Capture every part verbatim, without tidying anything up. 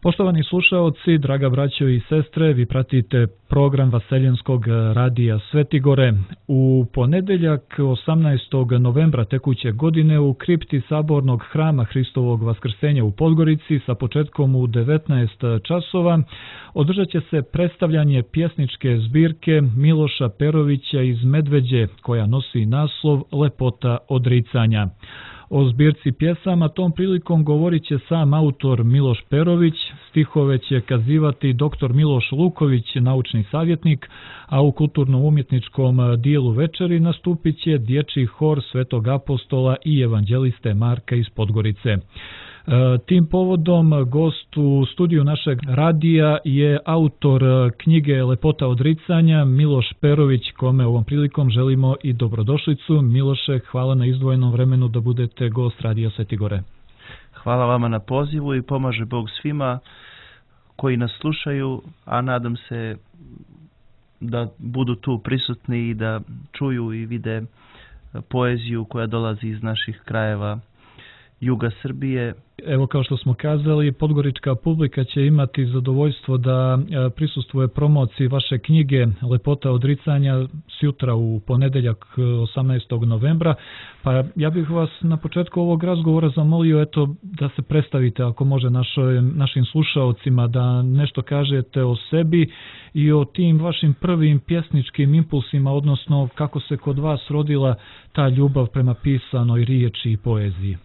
Poštovani slušaoci, draga braćo i sestre, vi pratite program Vaseljenskog radija Svetigore. U ponedeljak osamnaestog novembra tekuće godine u kripti Sabornog hrama Hristovog Vaskrsenja u Podgorici sa početkom u devetnaest časova održat će se predstavljanje pjesničke zbirke Miloša Perovića iz Medveđe koja nosi naslov Lepota odricanja. O zbirci pjesama tom prilikom govorit će sam autor Miloš Perović, stihove će kazivati doktor Miloš Luković, naučni savjetnik, a u kulturno-umjetničkom dijelu večeri nastupit će dječji hor Svetog apostola i evanđeliste Marka iz Podgorice. Tim povodom gost u studiju našeg radija je autor knjige Lepota odricanja Miloš Perović, kome ovom prilikom želimo i dobrodošlicu. Miloše, hvala na izdvojenom vremenu da budete gost radija Svetigore. Hvala vama na pozivu i pomaže Bog svima koji nas slušaju, a nadam se da budu tu prisutni i da čuju i vide poeziju koja dolazi iz naših krajeva juga Srbije. Evo, kao što smo kazali, podgorička publika će imati zadovoljstvo da prisustvuje promociji vaše knjige Lepota odricanja sutra u ponedeljak osamnaestog novembra. Pa ja bih vas na početku ovog razgovora zamolio eto da se predstavite, ako može, našoj, našim slušaocima, da nešto kažete o sebi i o tim vašim prvim pjesničkim impulsima, odnosno kako se kod vas rodila ta ljubav prema pisanoj riječi i poeziji.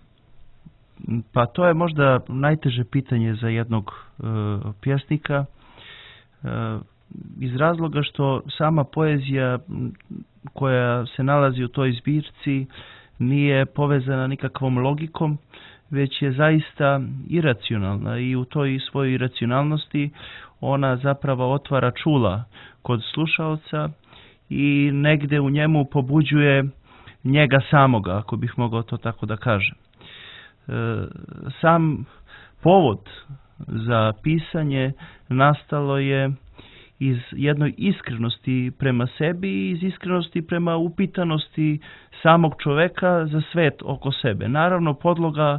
Pa to je možda najteže pitanje za jednog e, pjesnika e, iz razloga što sama poezija koja se nalazi u toj zbirci nije povezana nikakvom logikom, već je zaista iracionalna i u toj svojoj iracionalnosti ona zapravo otvara čula kod slušaoca i negde u njemu pobuđuje njega samoga, ako bih mogao to tako da kažem. Sam povod za pisanje nastalo je iz jednoj iskrenosti prema sebi i iz iskrenosti prema upitanosti samog čoveka za svet oko sebe. Naravno, podloga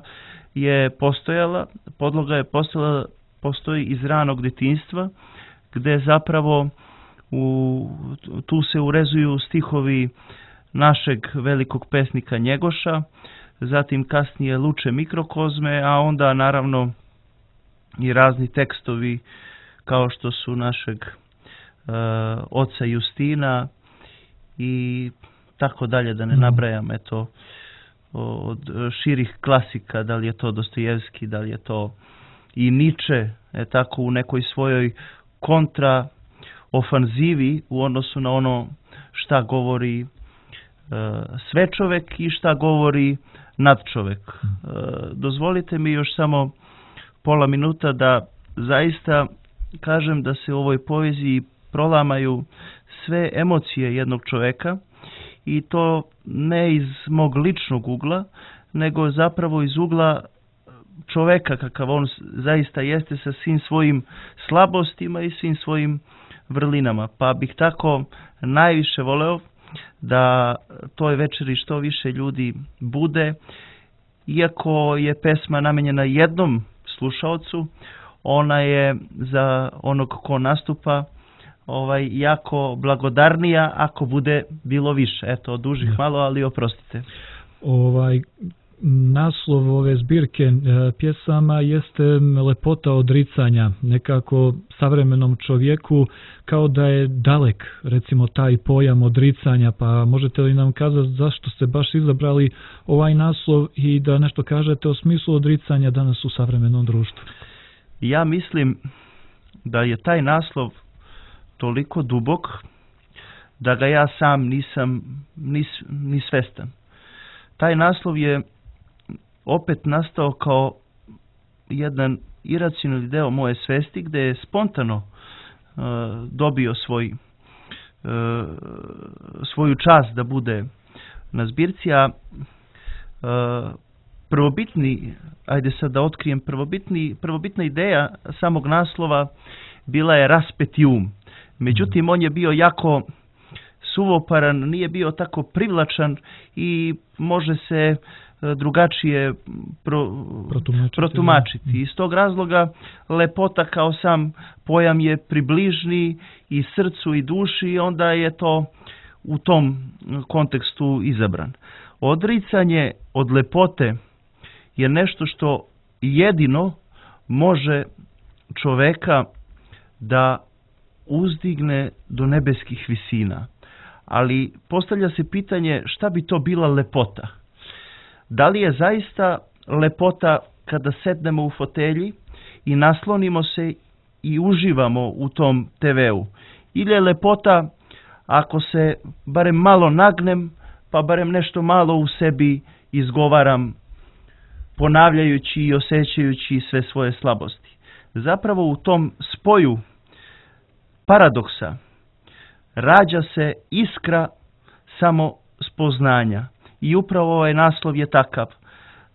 je postojala, podloga je postojala, postoji iz ranog djetinjstva, gdje zapravo u, tu se urezuju stihovi našeg velikog pesnika Njegoša, zatim kasnije Luče Mikrokozme, a onda naravno i razni tekstovi kao što su našeg e, oca Justina i tako dalje, da ne nabrajam, eto, od širih klasika, da li je to Dostojevski, da li je to i Niče, e, tako u nekoj svojoj kontra ofanzivi u odnosu na ono šta govori e, sve čovek i šta govori nadčovek. E, dozvolite mi još samo pola minuta da zaista kažem da se u ovoj poeziji prolamaju sve emocije jednog čoveka i to ne iz mog ličnog ugla, nego zapravo iz ugla čoveka kakav on zaista jeste sa svim svojim slabostima i svim svojim vrlinama. Pa bih tako najviše voleo da toj večeri što više ljudi bude, iako je pesma namenjena jednom slušaocu, ona je za onog ko nastupa ovaj jako blagodarnija ako bude bilo više. Eto, odužih malo, ali oprostite. Ovaj naslov ove zbirke pjesama jeste Lepota odricanja, nekako savremenom čovjeku kao da je dalek, recimo, taj pojam odricanja, pa možete li nam kazati zašto ste baš izabrali ovaj naslov i da nešto kažete o smislu odricanja danas u savremenom društvu? Ja mislim da je taj naslov toliko dubok da ga ja sam nisam ni, ni svestan. Taj naslov je opet nastao kao jedan iracionalni deo moje svesti gdje je spontano uh, dobio svoj, uh, svoju čast da bude na zbirci, a uh, prvobitni, ajde sad da otkrijem, prvobitni, prvobitna ideja samog naslova bila je Raspeti um. Međutim, on je bio jako suvoparan, nije bio tako privlačan i može se drugačije pro, protumačiti. protumačiti. Iz tog razloga lepota kao sam pojam je približni i srcu i duši i onda je to u tom kontekstu izabran. Odricanje od lepote je nešto što jedino može čoveka da uzdigne do nebeskih visina. Ali postavlja se pitanje šta bi to bila lepota? Da li je zaista lepota kada sednemo u fotelji i naslonimo se i uživamo u tom te veu? Ili je lepota ako se barem malo nagnem, pa barem nešto malo u sebi izgovaram, ponavljajući i osjećajući sve svoje slabosti? Zapravo u tom spoju paradoksa rađa se iskra samo spoznanja. I upravo ovaj naslov je takav,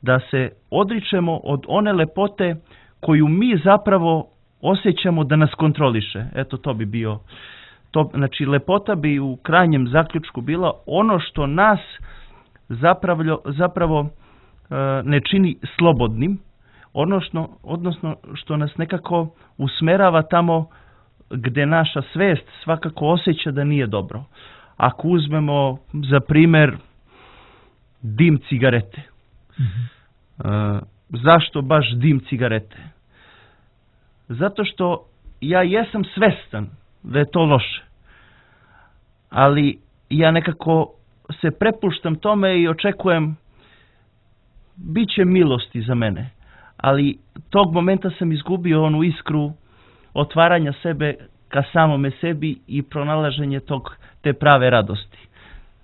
da se odričemo od one lepote koju mi zapravo osjećamo da nas kontroliše. Eto, to bi bio. To, znači, lepota bi u krajnjem zaključku bila ono što nas zapravo, zapravo uh, ne čini slobodnim, odnosno, odnosno što nas nekako usmerava tamo gdje naša svest svakako osjeća da nije dobro. Ako uzmemo za primjer dim cigarete. Mm-hmm. Uh, zašto baš dim cigarete? Zato što ja jesam svestan da je to loše. Ali ja nekako se prepuštam tome i očekujem bit će milosti za mene. Ali tog momenta sam izgubio onu iskru otvaranja sebe ka samome sebi i pronalaženje tog, te prave radosti.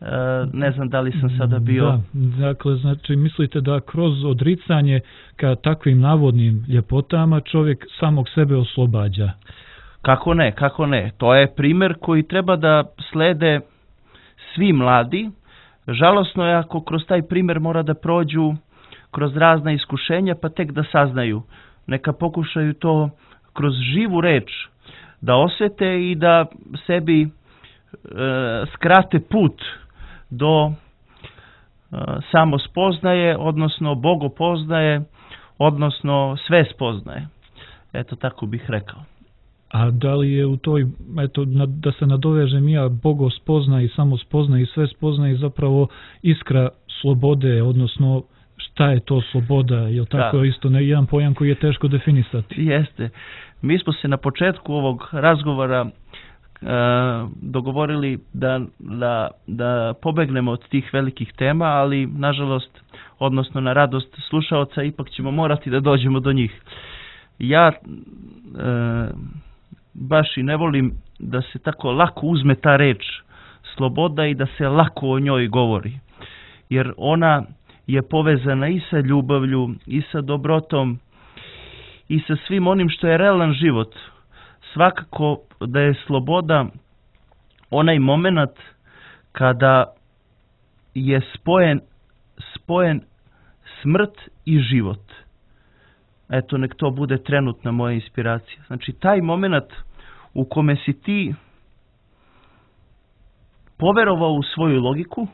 E, ne znam da li sam sada bio... Da, dakle, znači mislite da kroz odricanje ka takvim navodnim ljepotama čovjek samog sebe oslobađa? Kako ne, kako ne. To je primjer koji treba da slede svi mladi. Žalosno je ako kroz taj primjer mora da prođu kroz razna iskušenja pa tek da saznaju. Neka pokušaju to kroz živu reč da osjete i da sebi e, skrate put do e, samospoznaje, odnosno bogopoznaje, odnosno sve spoznaje. Eto, tako bih rekao. A da li je u toj, eto, da se nadovežem ja, bogospozna i samospozna i sve spozna i zapravo iskra slobode, odnosno šta je to sloboda, je li tako da. Isto ne, jedan pojam koji je teško definisati? Jeste. Mi smo se na početku ovog razgovora e, dogovorili da, da, da pobegnemo od tih velikih tema, ali nažalost, odnosno na radost slušaoca, ipak ćemo morati da dođemo do njih. Ja e, baš i ne volim da se tako lako uzme ta reč sloboda i da se lako o njoj govori. Jer ona je povezana i sa ljubavlju, i sa dobrotom, i sa svim onim što je realan život. Svakako da je sloboda onaj moment kada je spojen, spojen smrt i život. Eto, nek to bude trenutna moja inspiracija. Znači, taj moment u kome si ti poverovao u svoju logiku,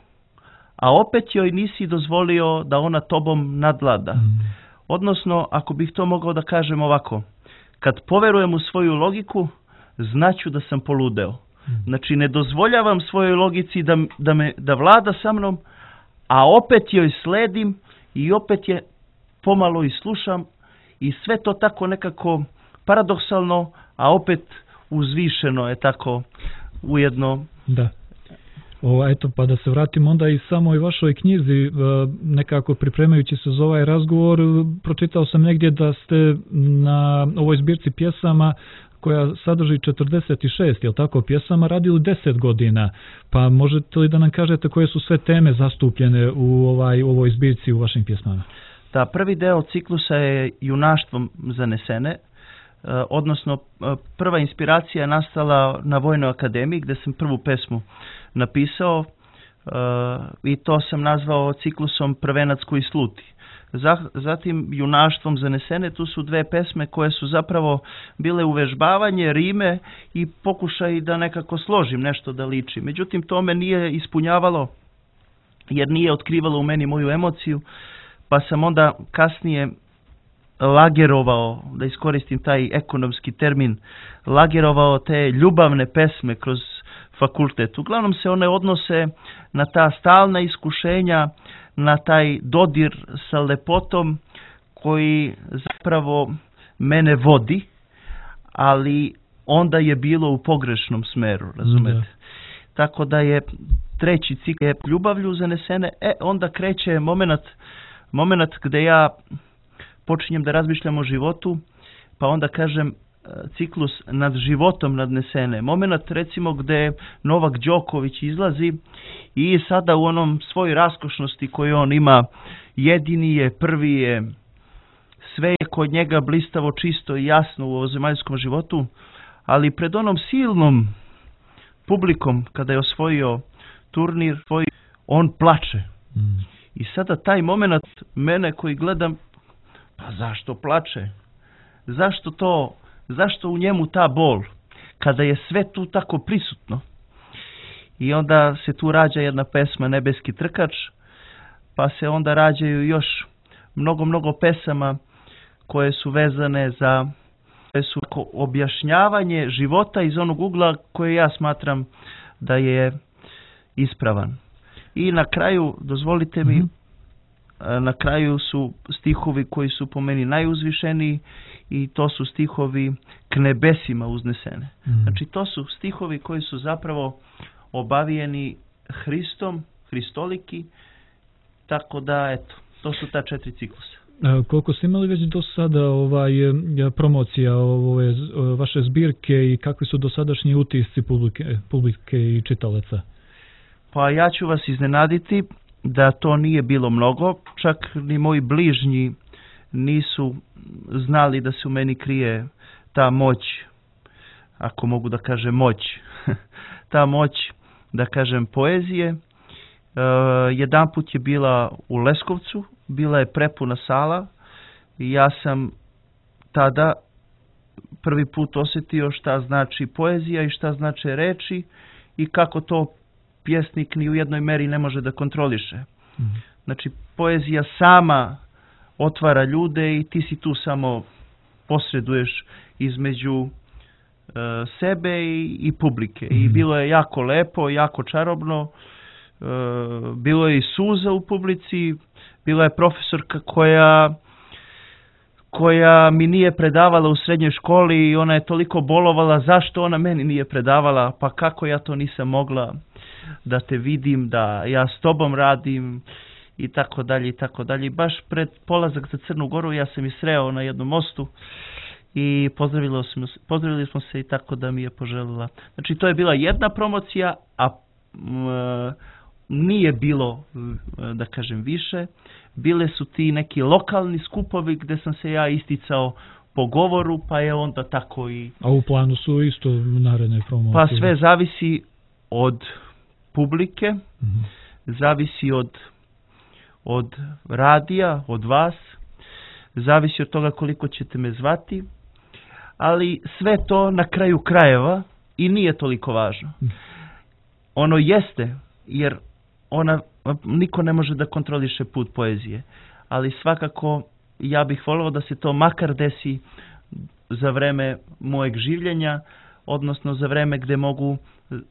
a opet joj nisi dozvolio da ona tobom nadvlada. Mm. Odnosno, ako bih to mogao da kažem ovako, kad poverujem u svoju logiku, znaću da sam poludeo. Mm. Znači, ne dozvoljavam svojoj logici da, da, me, da vlada sa mnom, a opet joj sledim i opet je pomalo i slušam i sve to tako nekako paradoksalno, a opet uzvišeno je tako ujedno. Da. O, eto, pa da se vratim onda i samoj vašoj knjizi, nekako pripremajući se za ovaj razgovor, pročitao sam negdje da ste na ovoj zbirci pjesama koja sadrži četrdeset šest, je li tako, pjesama radili deset godina, pa možete li da nam kažete koje su sve teme zastupljene u ovaj, u ovoj zbirci u vašim pjesmama? Da, prvi deo ciklusa je junaštvom zanesene, odnosno prva inspiracija je nastala na Vojnoj akademiji gdje sam prvu pesmu napisao i to sam nazvao ciklusom Prvenac koji sluti. Zatim junaštvom zanesene, tu su dve pesme koje su zapravo bile uvežbavanje, rime i pokušaj da nekako složim nešto da liči. Međutim, to me nije ispunjavalo jer nije otkrivalo u meni moju emociju, pa sam onda kasnije lagerovao, da iskoristim taj ekonomski termin, lagerovao te ljubavne pesme kroz fakultet. Uglavnom se one odnose na ta stalna iskušenja, na taj dodir sa lepotom koji zapravo mene vodi, ali onda je bilo u pogrešnom smeru, razumete? Da. Tako da je treći cikl je ljubavlju zanesene, e onda kreće moment, moment gde ja počinjem da razmišljam o životu, pa onda kažem ciklus nad životom nadnesene. Moment recimo gde Novak Đoković izlazi i sada u onom svojoj raskošnosti koju on ima, jedini je, prvi je, sve je kod njega blistavo, čisto i jasno u ovozemaljskom životu, ali pred onom silnom publikom kada je osvojio turnir, on plače. Mm. I sada taj moment mene koji gledam, pa zašto plače? Zašto to, zašto u njemu ta bol? Kada je sve tu tako prisutno. I onda se tu rađa jedna pesma Nebeski trkač, pa se onda rađaju još mnogo, mnogo pesama koje su vezane za koje su objašnjavanje života iz onog ugla koje ja smatram da je ispravan. I na kraju, dozvolite mi, mm-hmm. na kraju su stihovi koji su po meni najuzvišeniji i to su stihovi k nebesima uznesene. Mm-hmm. Znači to su stihovi koji su zapravo obavijeni Hristom, Hristoliki, tako da eto, to su ta četiri ciklusa. A koliko ste imali već do sada ovaj, promocija ove vaše zbirke i kakvi su dosadašnji utisci publike, publike i čitalaca? Pa ja ću vas iznenaditi da to nije bilo mnogo, čak ni moji bližnji nisu znali da se u meni krije ta moć, ako mogu da kažem moć, ta moć da kažem poezije. E, jedan put je bila u Leskovcu, bila je prepuna sala i ja sam tada prvi put osjetio šta znači poezija i šta znače reči i kako to pjesnik ni u jednoj meri ne može da kontroliše. Mm. Znači, poezija sama otvara ljude i ti si tu samo posreduješ između uh, sebe i, i publike. Mm. I bilo je jako lepo, jako čarobno, uh, bilo je i suza u publici, bila je profesorka koja koja mi nije predavala u srednjoj školi i ona je toliko bolovala zašto ona meni nije predavala, pa kako ja to nisam mogla da te vidim, da ja s tobom radim i tako dalje i tako dalje. Baš pred polazak za Crnu Goru ja sam je sreo na jednom mostu i pozdravili smo, pozdravili smo se i tako da mi je poželila. Znači to je bila jedna promocija, a m, nije bilo, da kažem, više. Bile su ti neki lokalni skupovi gde sam se ja isticao po govoru, pa je onda tako i... A u planu su isto naredne promocije? Pa sve zavisi od publike, mm-hmm. zavisi od, od radija, od vas, zavisi od toga koliko ćete me zvati, ali sve to na kraju krajeva i nije toliko važno. Mm. Ono jeste, jer ona, niko ne može da kontroliše put poezije, ali svakako ja bih volio da se to makar desi za vreme mojeg življenja, odnosno za vreme gde mogu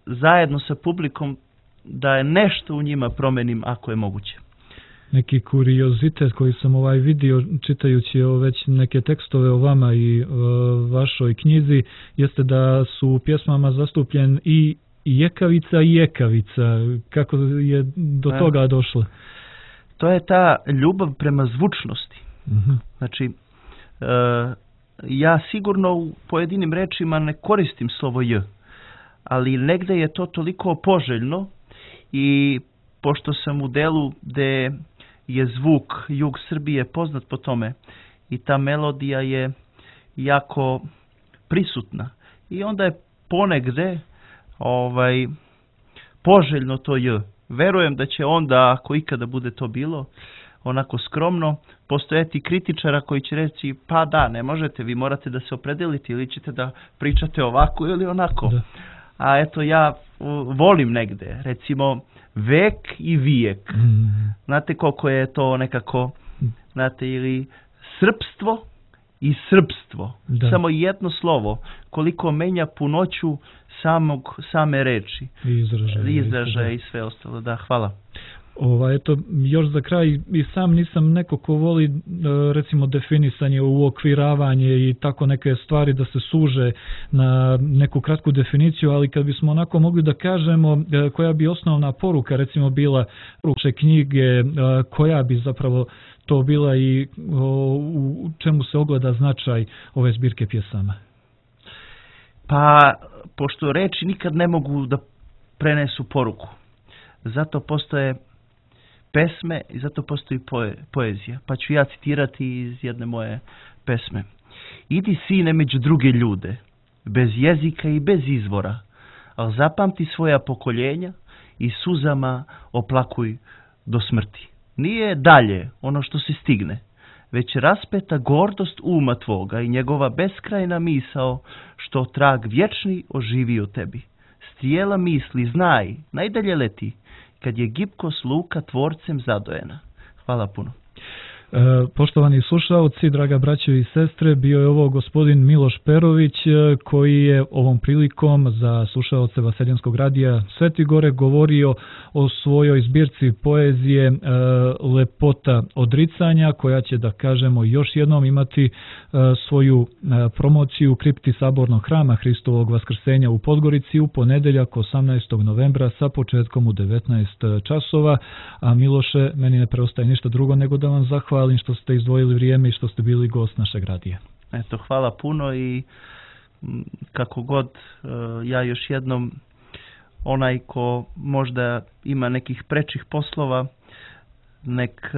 zajedno sa publikom da je nešto u njima promenim ako je moguće. Neki kuriozitet koji sam ovaj vidio čitajući već neke tekstove o vama i o vašoj knjizi jeste da su u pjesmama zastupljen i jekavica i jekavica. Kako je do A, toga došlo? To je ta ljubav prema zvučnosti. Uh-huh. Znači, e, ja sigurno u pojedinim rečima ne koristim slovo j, ali negde je to toliko poželjno i pošto sam u delu gde je zvuk jug Srbije poznat po tome i ta melodija je jako prisutna i onda je ponegde ovaj, poželjno to j. Verujem da će onda, ako ikada bude to bilo, onako skromno, postojati kritičara koji će reći, pa da, ne možete, vi morate da se opredelite ili ćete da pričate ovako ili onako. Da. a eto ja volim negde, recimo vek i vijek. Mm. Znate koliko je to nekako, znate, ili srpstvo i srpstvo. Da. Samo jedno slovo, koliko menja punoću samog, same reči. I izražaja. Izražaja i sve ostalo. Da, hvala. Ova, eto, još za kraj, i sam nisam neko ko voli recimo definisanje, uokviravanje i tako neke stvari da se suže na neku kratku definiciju, ali kad bismo onako mogli da kažemo koja bi osnovna poruka recimo bila uče knjige, koja bi zapravo to bila i u čemu se ogleda značaj ove zbirke pjesama? Pa, pošto reči nikad ne mogu da prenesu poruku, zato postoje pesme i zato postoji poe, poezija. Pa ću ja citirati iz jedne moje pesme. Idi sine među druge ljude, bez jezika i bez izvora, ali zapamti svoja pokoljenja i suzama oplakuj do smrti. Nije dalje ono što se stigne, već raspeta gordost uma tvoga i njegova beskrajna misao što trag vječni oživi u tebi. Strijela misli, znaj, najdalje leti, kad je gibkost luka tvorcem zadojena. Hvala puno. E, poštovani slušalci, draga braćo i sestre, bio je ovo gospodin Miloš Perović koji je ovom prilikom za slušalce Vaseljenskog radija Sveti Gore govorio o svojoj zbirci poezije e, Lepota odricanja, koja će, da kažemo, još jednom imati e, svoju e, promociju u kripti Sabornog hrama Hristovog Vaskrsenja u Podgorici u ponedeljak osamnaestog novembra sa početkom u devetnaest časova. A Miloše, meni ne preostaje ništa drugo nego da vam zahvalim što ste izdvojili vrijeme i što ste bili gost našeg radija. Eto, hvala puno i kako god ja još jednom, onaj ko možda ima nekih prečih poslova, nek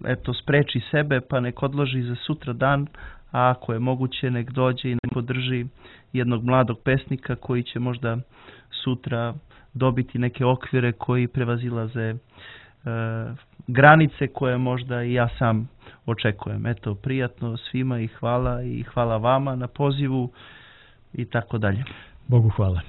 eto spreči sebe pa nek odloži za sutra dan, a ako je moguće nek dođe i nek podrži jednog mladog pesnika koji će možda sutra dobiti neke okvire koji prevazilaze granice koje možda i ja sam očekujem. Eto, prijatno svima i hvala i hvala vama na pozivu i tako dalje. Bogu hvala.